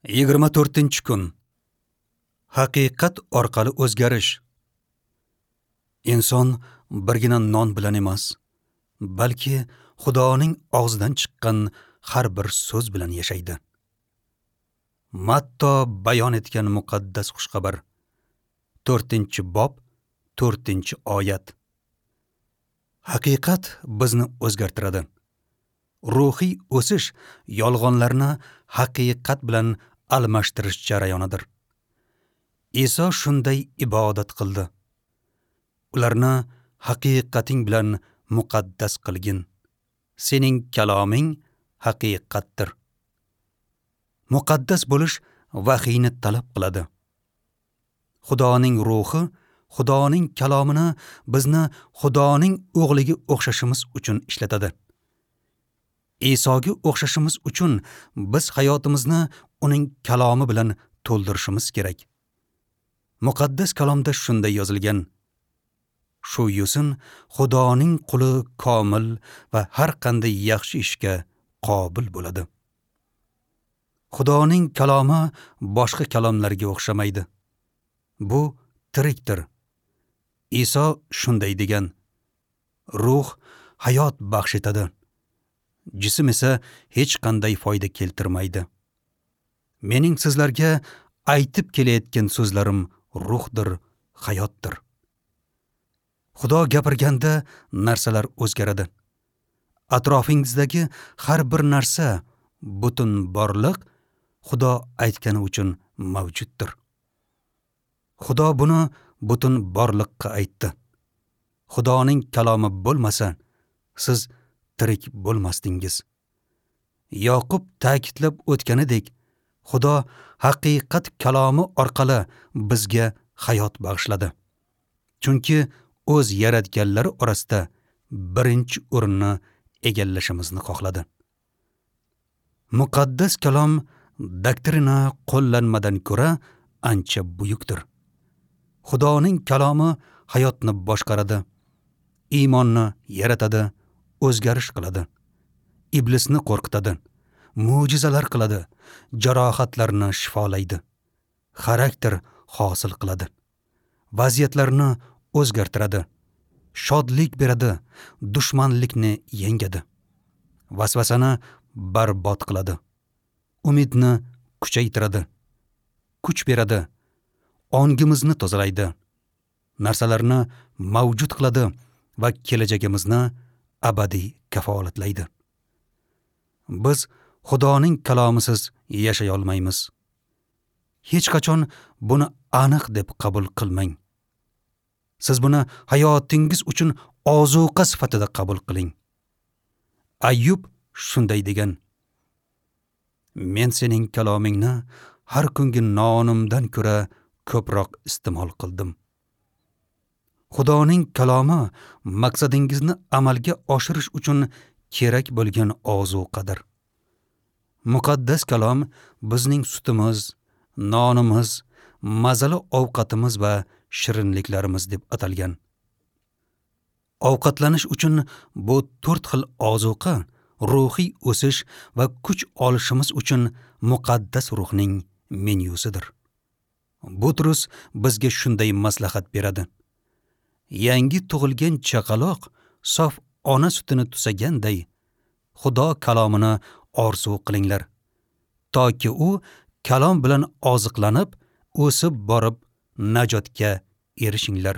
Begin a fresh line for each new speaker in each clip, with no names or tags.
24-kun. Haqiqat orqali o'zgarish. Inson birgina non bilan emas, balki Xudoning og'zidan chiqqan har bir so'z bilan yashaydi. Matto bayon etgan muqaddas xushxabar, 4-bob, 4-oyat. Haqiqat bizni o'zgartiradi. Ruhiy o'sish yolg'onlarni haqiqat bilan almashtirish jarayonidir. Iso shunday ibodat qildi. Ularni haqiqating bilan muqaddas qilgin. Sening kaloming haqiqatdir. Muqaddas bo'lish vahiyni talab qiladi. Xudoning ruhi Xudoning kalomini bizni Xudoning o'g'liga o'xshashimiz uchun ishlatadi. Isoga o'xshashimiz uchun biz hayotimizni uning kalomi bilan to'ldirishimiz kerak. Muqaddas kalomda shunday yozilgan: Shu yo'sin Xudoning quli komil va har qanday yaxshi ishga qobil bo'ladi. Xudoning kalomi boshqa kalomlarga o'xshamaydi. Bu tirikdir. Iso shunday degan: Ruh hayot baxsh etadi. Jism esa hech qanday foyda keltirmaydi. Mening sizlarga aytib kelayotgan so'zlarim ruhdir, hayotdir. Xudo gapirganda narsalar o'zgaradi. Atrofingizdagi har bir narsa, butun borliq Xudo aytgani uchun mavjuddir. Xudo buni butun borliqqa aytdi. Xudoning kalomi bo'lmasa, siz tirik bo'lmasdingiz. Yoqub ta'kidlab o'tganidek, Xudo haqiqat kalomi orqali bizga hayot bag'ishladi. Chunki o'z yaratganlari orasida birinchi o'rinni egallashimizni xohladi. Muqaddas kalom doktrina qo'llanmadan ko'ra ancha buyukdir. Xudoning kalomi hayotni boshqaradi, iymonni yaratadi, o'zgarish qiladi, iblisni qo'rqitadi, mo'jizalar qiladi, jarohatlarni shifolaydi, xarakter hosil qiladi, vaziyatlarni o'zgartiradi, shodlik beradi, dushmanlikni yengadi, vasvasani barbod qiladi, umidni kuchaytiradi, kuch beradi, ongimizni tozalaydi, narsalarni mavjud qiladi va kelajagimizni abadiy kafolatlaydi. Biz Xudoning kalomisiz yashay olmaymiz. Hech qachon buni aniq deb qabul qilmang. Siz buni hayotingiz uchun ozuqa sifatida qabul qiling. Ayyub shunday degan: Men sening kalomingni har kungi nonimdan ko'ra ko'proq iste'mol qildim. Xudoning kalomi maqsadingizni amalga oshirish uchun kerak bo'lgan ozuqadir. Muqaddas kalom bizning sutimiz, nonimiz, mazali ovqatimiz va shirinliklarimiz deb atalgan. Ovqatlanish uchun bu 4 xil ozuqa ruhiy o'sish va kuch olishimiz uchun muqaddas ruhning menyusidir. Butrus bizga shunday maslahat beradi: Yangi tug'ilgan chaqaloq sof ona sutini tusaganday Xudo kalomini orzu qilinglar, toki u kalom bilan oziqlanib, o'sib borib najotga erishinglar.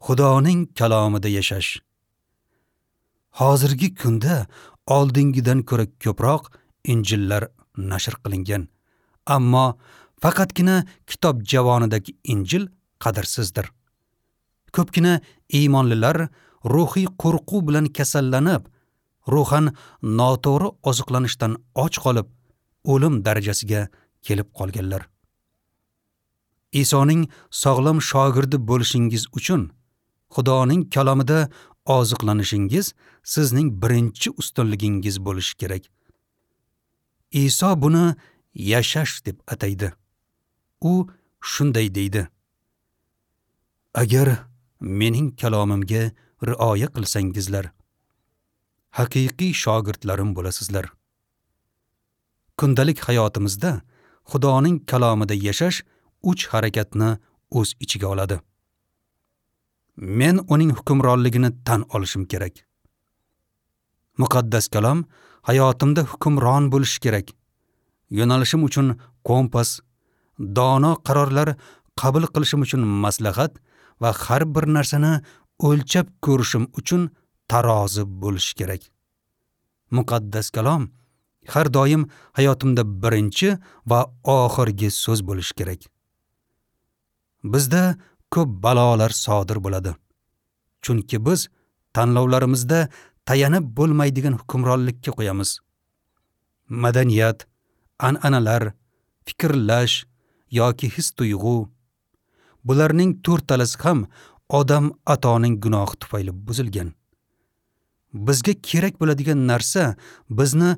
Xudoning kalomida yashash. Hozirgi kunda oldingidan ko'ra ko'proq injillar nashr qilingan, ammo faqatgina kitob javonidagi injil qadrsizdir. Ko'pgina iymonlilar ruhiy qo'rquv bilan kasallanib, ruhan noto'g'ri oziqlanishdan och qolib, o'lim darajasiga kelib qolganlar. Isoning sog'lom shogirdi bo'lishingiz uchun Xudoning kalomida oziqlanishingiz sizning birinchi ustunligingiz bo'lishi kerak. Iso buni yashash deb ataydi. U shunday deydi: Agar mening kalomimga rioya qilsangizlar, haqiqiy shogirdlarim bo'lasizlar. Kundalik hayotimizda Xudoning kalomida yashash 3 harakatni o'z ichiga oladi. Men uning hukmronligini tan olishim kerak. Muqaddas kalom hayotimda hukmron bo'lishi kerak. Yo'nalishim uchun kompas, dono qarorlar qabul qilishim uchun maslahat va har bir narsani o'lchab ko'rishim uchun tarozi bo'lishi kerak. Muqaddas kalom har doim hayotimda birinchi va oxirgi so'z bo'lishi kerak. Bizda ko'p balolar sodir bo'ladi. Chunki biz tanlovlarimizda tayanib bo'lmaydigan hukmronlikka qo'yamiz. Madaniyat, an'analar, fikrlash yoki his-tuyg'u, bularning to'rttalasi ham odam atoning gunohi tufayli buzilgan. Bizga kerak bo'ladigan narsa bizni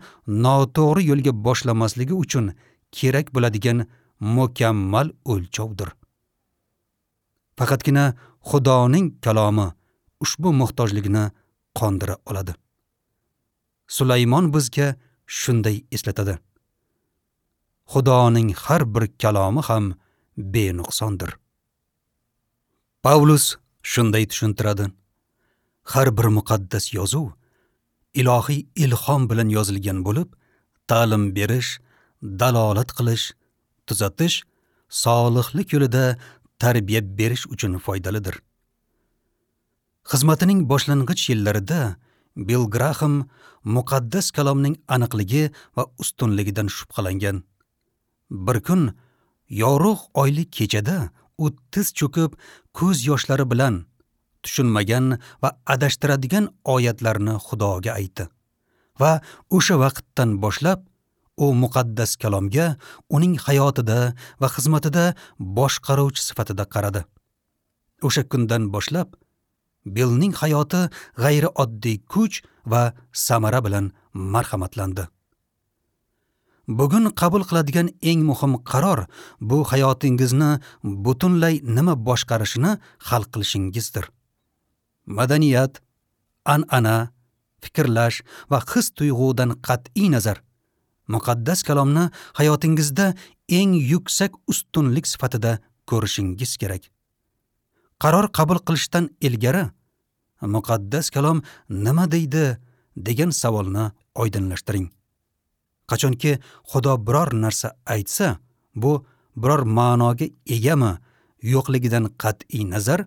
noto'g'ri yo'lga boshlamasligi uchun kerak bo'ladigan mukammal o'lchovdir. Faqatgina Xudoning kalomi ushbu muhtojlikni qondira oladi. Sulaymon bizga shunday eslatadi: Xudoning har bir kalomi ham benuqsondir. Pavlus shunday tushuntiradi: Har bir muqaddas yozuv ilohiy ilhom bilan yozilgan bo'lib, ta'lim berish, dalolat qilish, tuzatish, solihlik yo'lida tarbiya berish uchun foydalidir. Xizmatining boshlang'ich yillarida Bill Graham muqaddas kalomning aniqligi va ustunligidan shubhalangan. Bir kun yorug' oyli kechada u tiz cho'kib, ko'z yoshlari bilan tushunmagan va adashtiradigan oyatlarni Xudoga aytdi. Va o'sha vaqtdan boshlab u muqaddas kalomga uning hayotida va xizmatida boshqaruvchi sifatida qaradi. O'sha kundan boshlab Billning hayoti g'ayrioddiy kuch va samara bilan marhamatlandi. Bugun qabul qiladigan eng muhim qaror bu hayotingizni butunlay nima boshqarishini hal qilishingizdir. Madaniyat, an'ana, fikrlash va his-tuyg'udan qat'iy nazar muqaddas kalomni hayotingizda eng yuksak ustunlik sifatida ko'rishingiz kerak. Qaror qabul qilishdan ilgari muqaddas kalom nima deydi degan savolni oydinlashtiring. Qachonki Xudo biror narsa aytsa, bu biror ma'noga egami yo'qligidan qat'iy nazar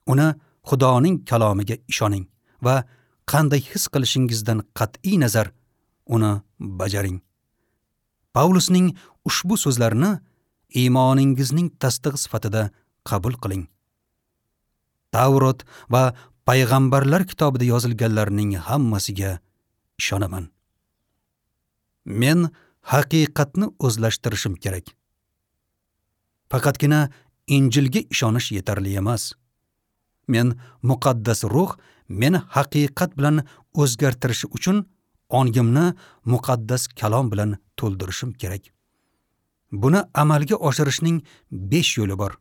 uni Xudoning kalomiga ishoning va qanday his qilishingizdan qat'iy nazar uni bajaring. Pavlusning ushbu so'zlarini iymoningizning tasdig'i sifatida qabul qiling. Tavrot va payg'ambarlar kitobida yozilganlarning hammasiga ishonaman. Men haqiqatni o'zlashtirishim kerak. Faqatgina Injilga ishonish yetarli emas. Men muqaddas ruh meni haqiqat bilan o'zgartirishi uchun ongimni muqaddas kalom bilan to'ldirishim kerak. Buni amalga oshirishning 5 yo'li bor.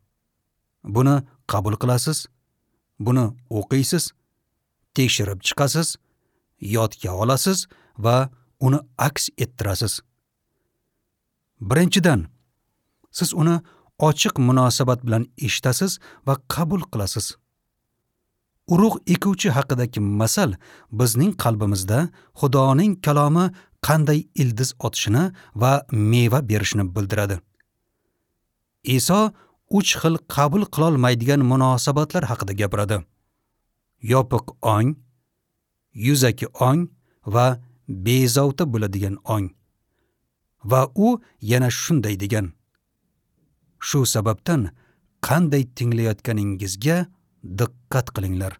Buni qabul qilasiz, buni o'qiysiz, tekshirib chiqasiz, yodga olasiz va uni aks ettirasiz. Birinchidan, siz uni ochiq munosabat bilan eshitasiz va qabul qilasiz. Urug' ekuvchi haqidagi masal bizning qalbimizda Xudoning kalomi qanday ildiz otishini va meva berishini bildiradi. Iso 3 xil qabul qilolmaydigan munosabatlar haqida gapiradi: yopiq ong, yuzaki ong va bezovta bo'ladigan ong. Va u yana shunday degan: Shu sababdan qanday tinglayotganingizga diqqat qilinglar.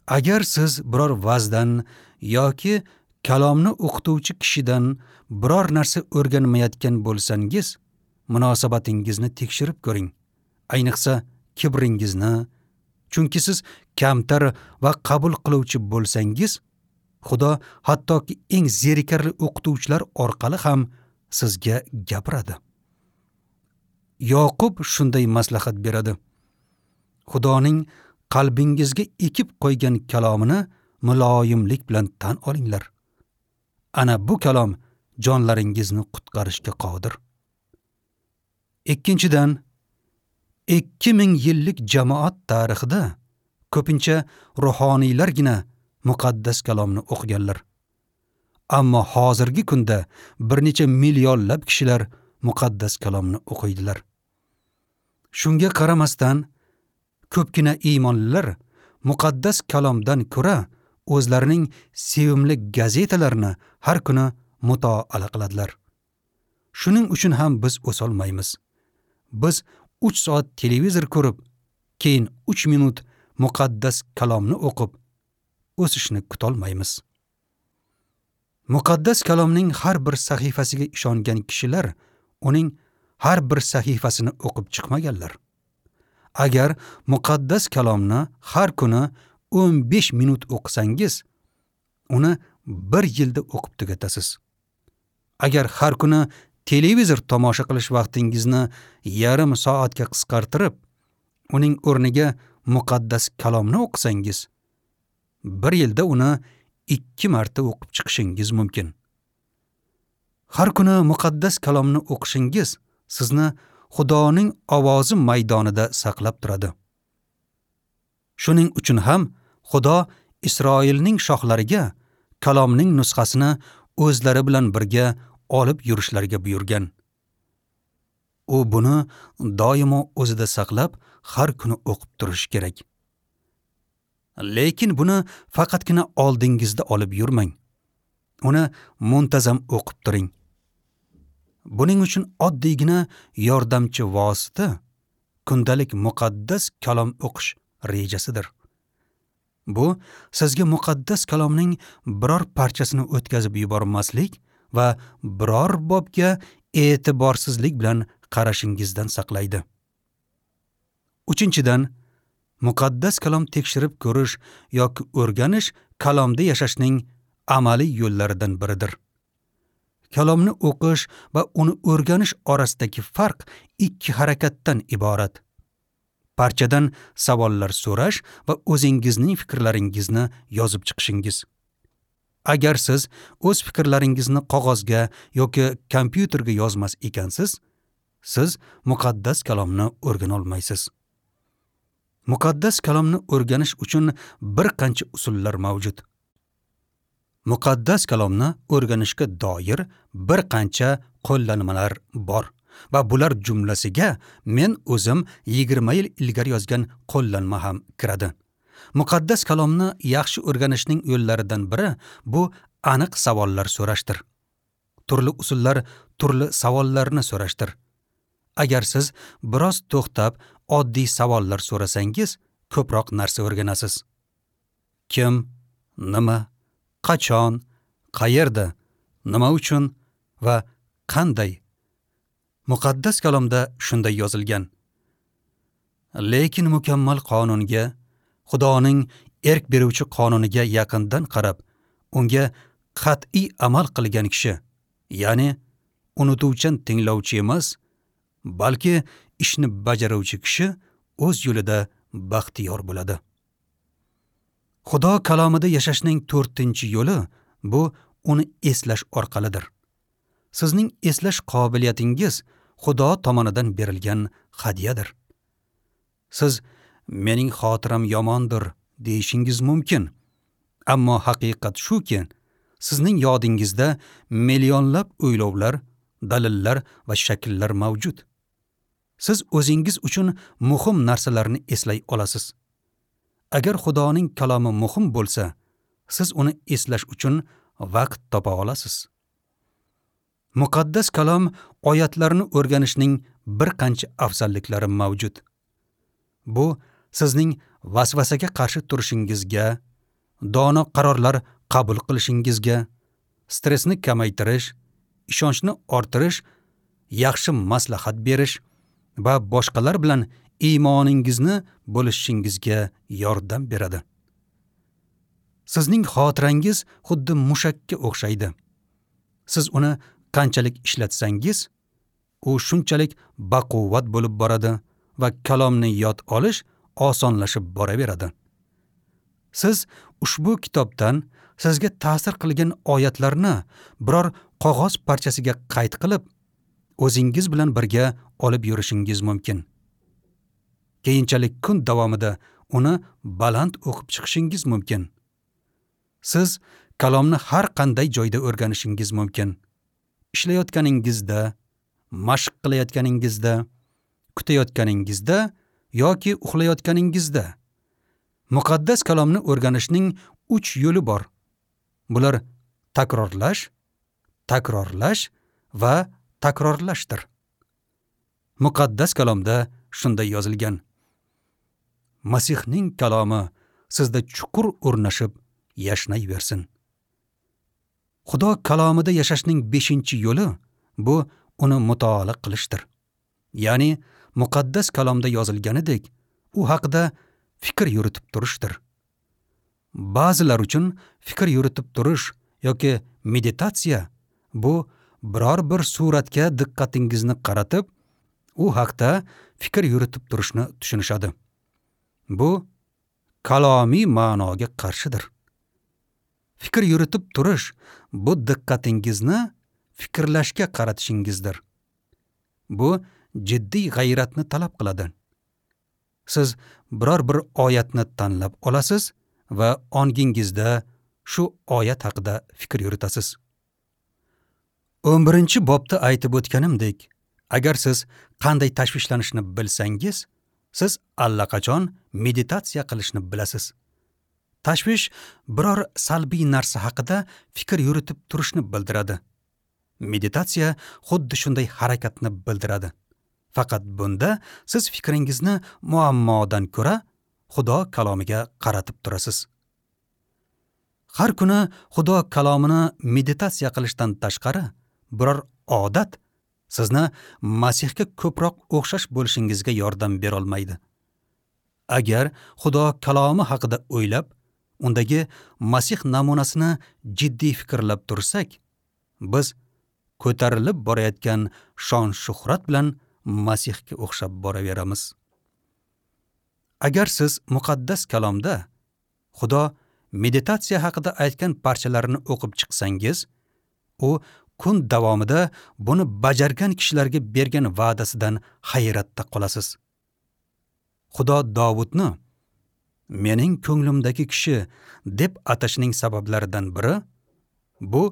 Agar siz biror vazdan yoki kalomni o'qituvchi kishidan biror narsa o'rganmayotgan bo'lsangiz, munosabatingizni tekshirib ko'ring. Ayniqsa kibringizni, chunki siz kamtar va qabul qiluvchi bo'lsangiz, Xudo hattoki eng zerikarli o'qituvchilar orqali ham sizga gapiradi. Yoqub shunday maslahat beradi: Xudoning qalbingizga ekib qo'ygan kalomini muloyimlik bilan tan olinglar. Ana bu kalom jonlaringizni qutqarishga qodir. Ikkinchidan, 2000 yillik jamoat tarixida ko'pincha ruhoniylargina muqaddas kalomni o'qiganlar. Ammo hozirgi kunda bir necha millionlab kishilar muqaddas kalomni o'qiydilar. Shunga qaramasdan, ko'pgina iymonlilar muqaddas kalomdan ko'ra o'zlarining sevimli gazetalarini har kuni mutolaa qiladilar. Shuning uchun ham biz o'solmaymiz. Biz 3 soat televizor ko'rib, keyin 3 minut muqaddas kalomni o'qib, o'sishni kutolmaymiz. Muqaddas kalomning har bir sahifasiga ishongan kishilar uning har bir sahifasini o'qib chiqmaganlar. Agar muqaddas kalomni har kuni 15 minut o'qisangiz, uni 1 yilda o'qib tugatasiz. Agar har kuni televizor tomosha qilish vaqtingizni yarim soatga qisqartirib, uning o'rniga muqaddas kalomni o'qisangiz, 1 yilda uni 2 marta o'qib chiqishingiz mumkin. Har kuni muqaddas kalomni o'qishingiz sizni Xudoning ovozi maydonida saqlab turadi. Shuning uchun ham Xudo Isroilning shohlariga kalomning nusxasini o'zlari bilan birga olib yurishlariga buyurgan. U buni doimo o'zida saqlab, har kuni o'qib turish kerak. Lekin buni faqatgina oldingizda olib yurmang. Uni muntazam o'qib turing. Buning uchun oddiygina yordamchi vosita kundalik muqaddas kalom o'qish rejasidir. Bu sizga muqaddas kalomning biror parchasini o'tkazib yubormaslik va biror bobga e'tiborsizlik bilan qarashingizdan saqlaydi. Uchinchidan, muqaddas kalom tekshirib ko'rish yoki o'rganish kalomda yashashning amaliy yo'llaridan biridir. Kalomni o'qish va uni o'rganish orasidagi farq ikki harakatdan iborat. Parchadan savollar so'rash va o'zingizning fikrlaringizni yozib chiqishingiz. Agar siz o'z fikrlaringizni qog'ozga yoki kompyuterga yozmas ekansiz, siz muqaddas kalomni o'rgana olmaysiz. Muqaddas kalomni o'rganish uchun bir qancha usullar mavjud. Muqaddas kalomni o'rganishga doir bir qancha qo'llanmalar bor va bular jumlasiga men o'zim 20 yil ilgari yozgan qo'llanma ham kiradi. Muqaddas kalomni yaxshi o'rganishning yo'llaridan biri bu aniq savollar so'rashdir. Turli usullar turli savollarni so'rashdir. Agar siz biroz to'xtab oddiy savollar so'rasangiz, ko'proq narsa o'rganasiz. Kim, nima, qachon, qayerda, nima uchun va qanday? Muqaddas kalomda shunday yozilgan. Lekin mukammal qonunga, Xudoning erk beruvchi qonuniga yaqindan qarab, unga qat'iy amal qilgan kishi, ya'ni unutuvchan tinglovchi emas, balki ishni bajaruvchi kishi o'z yo'lida baxtiyor bo'ladi. Xudo kalomida yashashning 4-yo'li bu uni eslash orqalidir. Sizning eslash qobiliyatingiz Xudo tomonidan berilgan hadyadir. Siz mening xotiram yomondir deyishingiz mumkin. Ammo haqiqat shuki, sizning yodingizda millionlab o'ylovlar, dalillar va shakllar mavjud. Siz o'zingiz uchun muhim narsalarni eslay olasiz. Agar Xudoning kalomi muhim bo'lsa, siz uni eslash uchun vaqt topa olasiz. Muqaddas kalom oyatlarini o'rganishning bir qancha afzalliklari mavjud. Bu sizning vasvasaga qarshi turishingizga, dono qarorlar qabul qilishingizga, stressni kamaytirish, ishonchni orttirish, yaxshi maslahat berish va boshqalar bilan iymoningizni bo'lishingizga yordam beradi. Sizning xotirangiz xuddi mushakka o'xshaydi. Siz uni qanchalik ishlatsangiz, u shunchalik baquvvat bo'lib boradi va kalomni yod olish osonlashib boraveradi. Siz ushbu kitobdan sizga ta'sir qilgan oyatlarni biror qog'oz parchasiga qayd qilib, o'zingiz bilan birga olib yurishingiz mumkin. Keyinchalik kun davomida uni baland o'qib chiqishingiz mumkin. Siz kalomni har qanday joyda o'rganishingiz mumkin. Ishlayotganingizda, mashq qilayotganingizda, kutayotganingizda yoki uxlayotganingizda. Muqaddas kalomni o'rganishning 3 yo'li bor. Bular takrorlash, takrorlash va takrorlashdir. Muqaddas kalomda shunday yozilgan: Masihning kalomi sizda chuqur o'rnashib yashnayversin. Xudo kalomida yashashning 5-yo'li bu uni mutolaa qilishdir. Ya'ni muqaddas kalomda yozilganidek u haqida fikr yuritib turishdir. Ba'zilar uchun fikr yuritib turish yoki meditatsiya bu biror bir suratga diqqatingizni qaratib, u haqda fikr yuritib turishni tushunishadi. Bu kalomiy ma'noga qarshidir. Fikr yuritib turish bu diqqatingizni fikrlashga qaratishingizdir. Bu jiddiy g'ayratni talab qiladi. Siz biror bir oyatni tanlab olasiz va ongingizda shu oyat haqida fikr yuritasiz. 11-bobda aytib o'tganimdek, agar siz qanday tashvishlanishni bilsangiz, siz allaqachon meditatsiya qilishni bilasiz. Tashvish biror salbiy narsa haqida fikr yuritib turishni bildiradi. Meditatsiya xuddi shunday harakatni bildiradi. Faqat bunda siz fikringizni muammodan ko'ra Xudo kalomiga qaratib turasiz. Har kuni Xudo kalomini meditatsiya qilishdan tashqari biror odat sizni Masihga ko'proq o'xshash bo'lishingizga yordam bera olmaydi. Agar Xudo kalomi haqida o'ylab, undagi Masih namunasini jiddiy fikrlab tursak, biz ko'tarilib borayotgan shon-shuhrat bilan Masihga o'xshab boraveramiz. Agar siz muqaddas kalomda Xudo meditatsiya haqida aytgan parchalarini o'qib chiqsangiz, u kun davomida buni bajargan kishilarga bergan va'dasidan hayratda qolasiz. Xudo Davudni mening ko'nglimdagi kishi deb atashining sabablaridan biri bu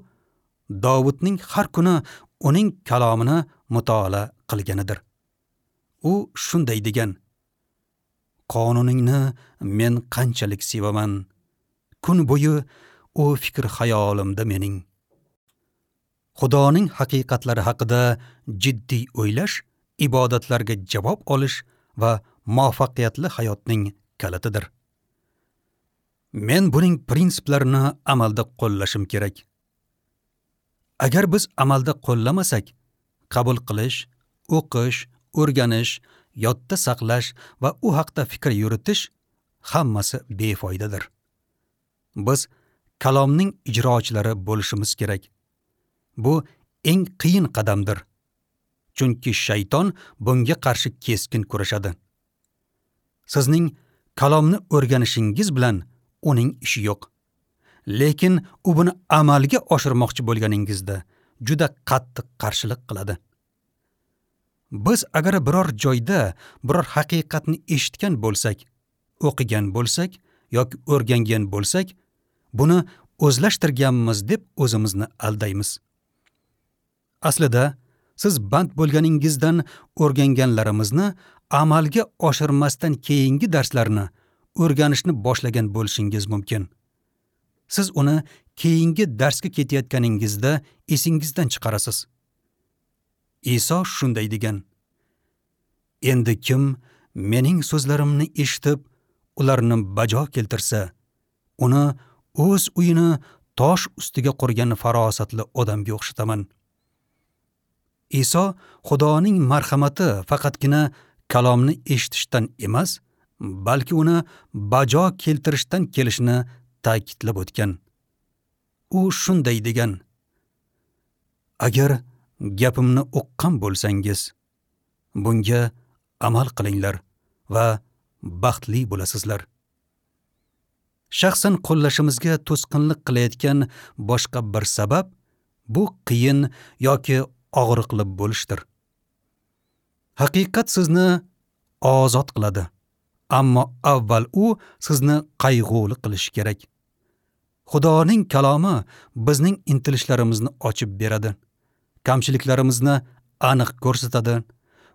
Davudning har kuni uning kalomini mutolaa qilganidir. U shunday degan: Qonuningni men qanchalik sevaman, kun bo'yi u fikr xayolimda mening. Xudoning haqiqatlari haqida jiddiy o'ylash, ibodatlarga javob olish va muvaffaqiyatli hayotning kalitidir. Men buning prinsiplarini amalda qo'llashim kerak. Agar biz amalda qo'llamasak, qabul qilish, o'qish, o'rganish, yodda saqlash va u haqda fikr yuritish hammasi befoydadir. Biz kalomning ijrochilari bo'lishimiz kerak. Bu eng qiyin qadamdir. Chunki shayton bunga qarshi keskin kurashadi. Sizning kalomni o'rganishingiz bilan uning ishi yo'q. Lekin u buni amalga oshirmoqchi bo'lganingizda juda qattiq qarshilik qiladi. Biz agar biror joyda biror haqiqatni eshitgan bo'lsak, o'qigan bo'lsak yoki o'rgangan bo'lsak, buni o'zlashtirganmiz deb o'zimizni aldaymiz. Aslida siz band bo'lganingizdan o'rganganlarimizni amalga oshirmasdan keyingi darslarni o'rganishni boshlagan bo'lishingiz mumkin. Siz uni keyingi darsga ketayotganingizda esingizdan chiqarasiz. Iso shunday degan: Endi kim mening so'zlarimni eshitib, ularni bajo keltirsa, uni o'z uyini tosh ustiga qurgan farosatli odamga o'xshataman. Iso Xudoning marhamati faqatgina kalomni eshitishdan emas, balki uni bajo keltirishdan kelishini ta'kidlab o'tgan. U shunday degan: Agar gapimni uqqan bo'lsangiz, bunga amal qilinglar va baxtli bo'lasizlar. Shaxsan qo'llashimizga to'sqinlik qilayotgan boshqa bir sabab Bu qiyin yoki og'riqli bo'lishdir. Haqiqat sizni ozod qiladi, ammo avval u sizni qayg'uli qilishi kerak. Xudoning kalomi bizning intilishlarimizni ochib beradi, kamchiliklarimizni aniq ko'rsatadi,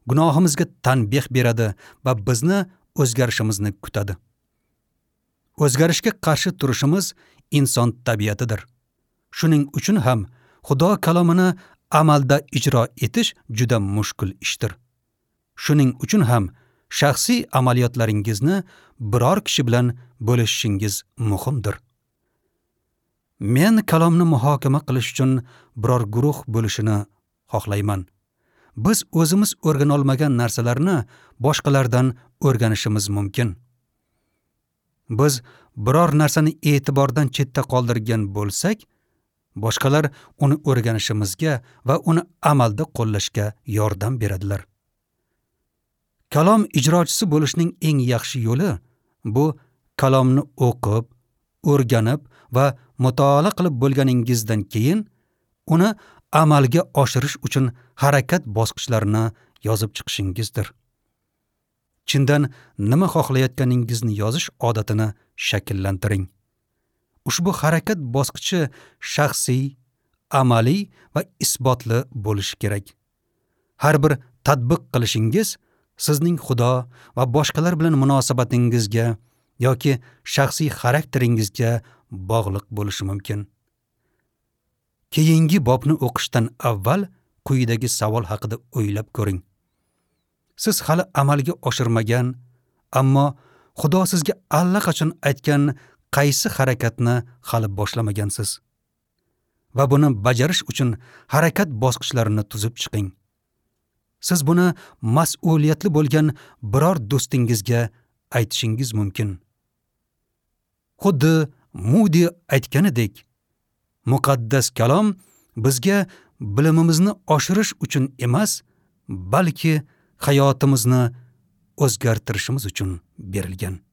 gunohimizga tanbeh beradi va bizni o'zgarishimizni kutadi. O'zgarishga qarshi turishimiz inson tabiatidir. Shuning uchun ham Xudo kalomini amalda ijro etish juda mushkul ishdir. Shuning uchun ham shaxsiy amaliyotlaringizni biror kishi bilan bo'lishishingiz muhimdir. Men kalomni muhokama qilish uchun biror guruh bo'lishini xohlayman. Biz o'zimiz o'rgana olmagan narsalarni boshqalardan o'rganishimiz mumkin. Biz biror narsani e'tibordan chetda qoldirgan bo'lsak, boshqalar uni o'rganishimizga va uni amalda qo'llashga yordam beradilar. Kalom ijrochisi bo'lishning eng yaxshi yo'li bu kalomni o'qib, o'rganib va mutolaa qilib bo'lganingizdan keyin uni amalga oshirish uchun harakat bosqichlarini yozib chiqishingizdir. Chindan nima xohlayotganingizni yozish odatini shakllantiring. Ushbu harakat bosqichi shaxsiy, amaliy va isbotli bo'lishi kerak. Har bir tatbiq qilishingiz sizning Xudo va boshqalar bilan munosabatingizga yoki shaxsiy xarakteringizga bog'liq bo'lishi mumkin. Keyingi bobni o'qishdan avval quyidagi savol haqida o'ylab ko'ring. Siz hali amalga oshirmagan, ammo Xudo sizga allaqachon aytgan qaysi harakatni hali boshlamagansiz? Va buni bajarish uchun harakat bosqichlarini tuzib chiqing. Siz buni mas'uliyatli bo'lgan biror do'stingizga aytishingiz mumkin. Xuddi Moody aytganidek, muqaddas kalom bizga bilimimizni oshirish uchun emas, balki hayotimizni o'zgartirishimiz uchun berilgan.